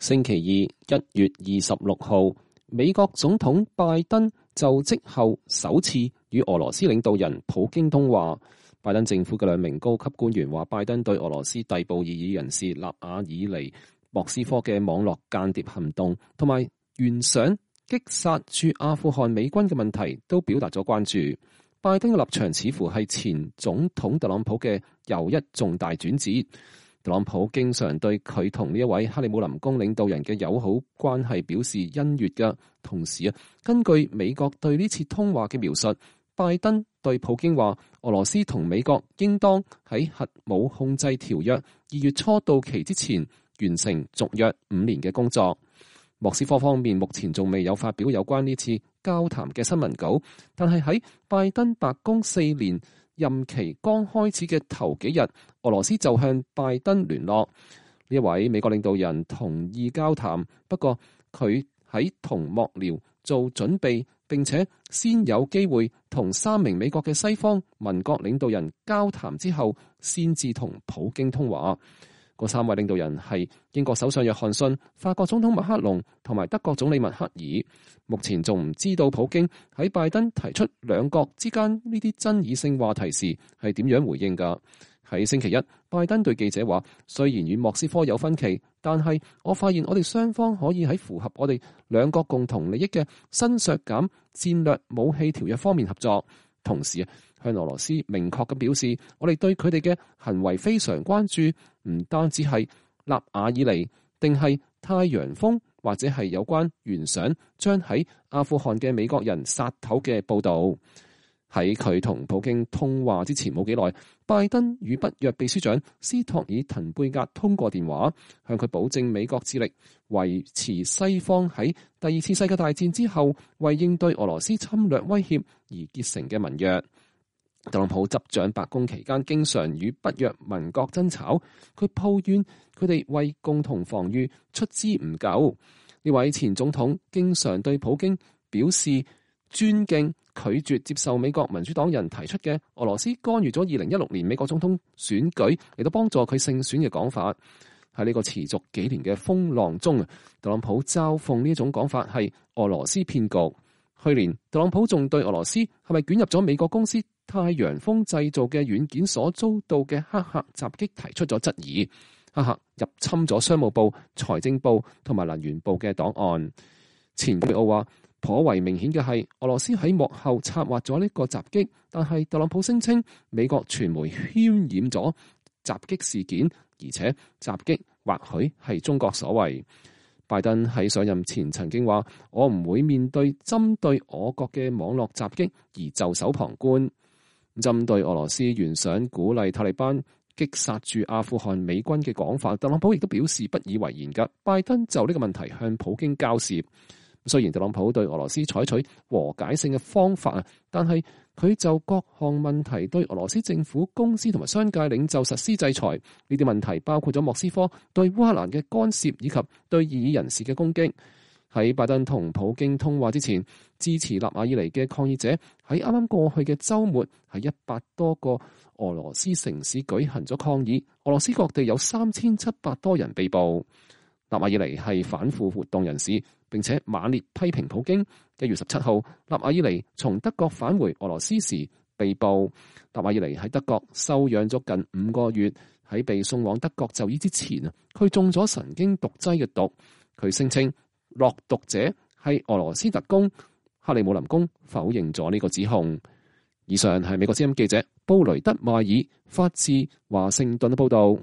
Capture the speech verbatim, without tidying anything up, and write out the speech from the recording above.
星期二一月二十六號，美國總統拜登就職後首次與俄羅斯領導人普京通話。拜登政府嘅兩名高級官員話，拜登對俄羅斯逮捕異議人士納瓦爾尼莫斯科嘅網絡間諜行動同埋懸賞擊殺駐阿富汗美軍嘅問題都表達咗關注。拜登嘅立場似乎係前總統特朗普嘅又一重大轉折。特朗普經常對佢同呢一位克里姆林宮領導人嘅友好關係表示欣悅嘅同時啊，根據美國對呢次通話嘅描述，拜登對普京話，俄羅斯同美國應當喺核武控制條約二月初到期之前完成續約五年嘅工作。莫斯科方面目前仲未有發表有關呢次交談嘅新聞稿，但係喺拜登白宮四年任期剛開始嘅頭幾日，俄羅斯就向拜登聯絡。呢一位美國領導人同意交談，不過佢喺同幕僚做準備，並且先有機會同三名美國嘅西方民國領導人交談之後，先至同普京通話。嗰三位領導人係英國首相約翰遜、法國總統馬克龍同埋德國總理默克爾。目前仲唔知道普京喺拜登提出兩國之間呢啲爭議性話題時係點樣回應㗎。喺星期一，拜登對記者話，雖然與莫斯科有分歧，但係我發現我哋雙方可以喺符合我哋兩國共同利益嘅新削減戰略武器條約方面合作。同時啊，向俄羅斯明確咁表示，我哋對佢哋嘅行為非常關注，唔單止係納瓦爾尼，定係太陽風或者係有關懸賞將喺阿富汗嘅美國人殺頭嘅報導。喺佢同普京通話之前冇幾耐，拜登與北約秘書長斯托爾滕貝格通過電話，向佢保證美國致力維持西方喺第二次世界大戰之後為應對俄羅斯侵略威脅而結成嘅盟約。特朗普執掌白宮期間，經常與北約盟國爭吵，佢抱怨佢哋為共同防禦出資唔夠。呢位前總統經常對普京表示尊敬，拒絕接受美國民主黨人提出嘅俄羅斯干預咗二零一六年美國總統選舉嚟到幫助佢勝選嘅講法。喺呢個持續幾年嘅風浪中，特朗普嘲諷呢種講法係俄羅斯騙局。去年特朗普仲對俄羅斯係咪捲入咗美國公司太陽風製造嘅軟件所遭到嘅黑客襲擊提出咗質疑。黑客入侵咗商務部、財政部同埋能源部嘅檔案。前普奧話，頗為明顯嘅係俄羅斯喺幕後策劃咗呢個襲擊，但係特朗普聲稱美國傳媒渲染咗襲擊事件，而且襲擊或許係中國所為。拜登喺上任前曾經話，我唔會面對針對我國嘅網絡襲擊而袖手旁觀。針對俄羅斯懸賞鼓勵塔利班擊殺駐阿富汗美軍嘅講法，特朗普亦都表示不以為然㗎。拜登就呢個問題向普京交涉。雖然特朗普對俄羅斯採取和解性嘅方法啊，但係佢就各項問題對俄羅斯政府、公司同埋商界領袖實施制裁。呢啲問題包括咗莫斯科對烏克蘭嘅干涉以及對異議人士嘅攻擊。喺拜登同普京通話之前，支持納瓦爾尼嘅抗議者喺啱啱過去嘅週末喺一百多個俄羅斯城市舉行咗抗議。俄羅斯各地有三千七百多人被捕。納瓦爾尼係反腐活動人士，並且猛烈批評普京。一月十七號，納瓦爾尼從德國返回俄羅斯時被捕。納瓦爾尼喺德國休養咗近五個月，喺被送往德國就醫之前啊，佢中咗神經毒劑嘅毒。佢聲稱落毒者係俄羅斯特工。克里姆林宮否認咗呢個指控。以上係美國之音記者布雷德邁爾發自華盛頓嘅報道。